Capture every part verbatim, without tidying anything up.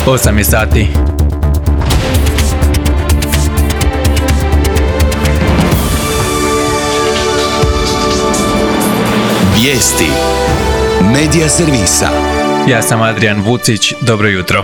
osam je sati. Vijesti Medija servisa. Ja sam Adrian Vucić, dobro jutro.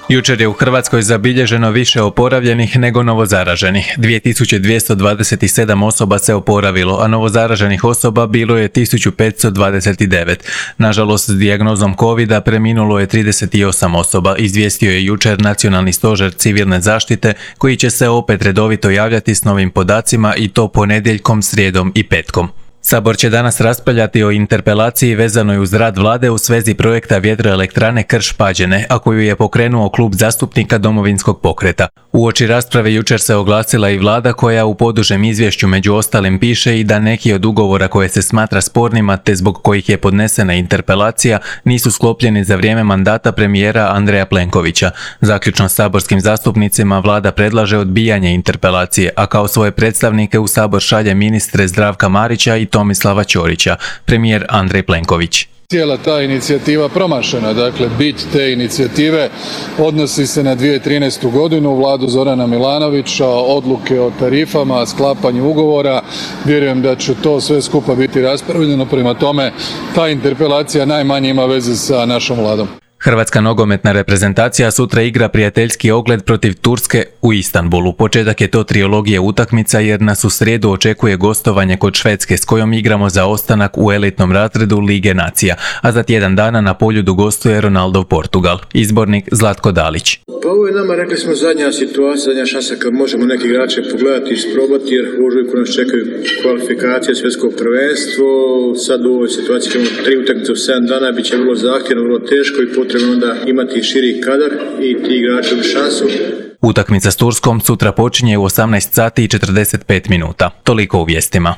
Jučer je u Hrvatskoj zabilježeno više oporavljenih nego novozaraženih. dvije tisuće dvjesto dvadeset sedam osoba se oporavilo, a novozaraženih osoba bilo je tisuću petsto dvadeset devet. Nažalost, s dijagnozom kovida preminulo je trideset osam osoba, izvijestio je jučer Nacionalni stožer civilne zaštite, koji će se opet redovito javljati s novim podacima i to ponedjeljkom, srijedom i petkom. Sabor će danas raspravljati o interpelaciji vezanoj uz rad vlade u svezi projekta vjetroelektrane Krš-Pađene, a koju je pokrenuo klub zastupnika Domovinskog pokreta. Uoči rasprave jučer se oglasila i vlada koja u podužem izvješću među ostalim piše i da neki od ugovora koje se smatra spornima te zbog kojih je podnesena interpelacija nisu sklopljeni za vrijeme mandata premijera Andreja Plenkovića. Zaključno saborskim zastupnicima vlada predlaže odbijanje interpelacije, a kao svoje predstavnike u sabor šalje ministre Zdravka Marića i Tomislava Ćorića, premijer Andrej Plenković. Cijela ta inicijativa promašena, dakle bit te inicijative odnosi se na dvije tisuće trinaestu godinu, vladu Zorana Milanovića, odluke o tarifama, sklapanju ugovora. Vjerujem da će to sve skupa biti raspravljeno, prema tome ta interpelacija najmanje ima veze sa našom vladom. Hrvatska nogometna reprezentacija sutra igra prijateljski ogled protiv Turske u Istanbulu. Početak je to trilogije utakmica jer nas u srijedu očekuje gostovanje kod Švedske s kojom igramo za ostanak u elitnom razredu Lige nacija, a za tjedan dana na Poljudu gostuje Ronaldov Portugal. Izbornik Zlatko Dalić. Pa ovo je nama, rekli smo, zadnja situacija, zadnja šansa kad možemo neki igrače pogledati i isprobati, jer u ožujku nas čekaju kvalifikacije, svjetsko prvenstvo. Sad u ovoj situaciji ćemo tri utakmice u sedam dana, bit će vrlo zahtjevno, vrlo teško i potrebno onda imati širi kadar i ti igrači u šansu. Utakmica s Turskom sutra počinje u osamnaest sati i četrdeset pet minuta. Toliko u vijestima.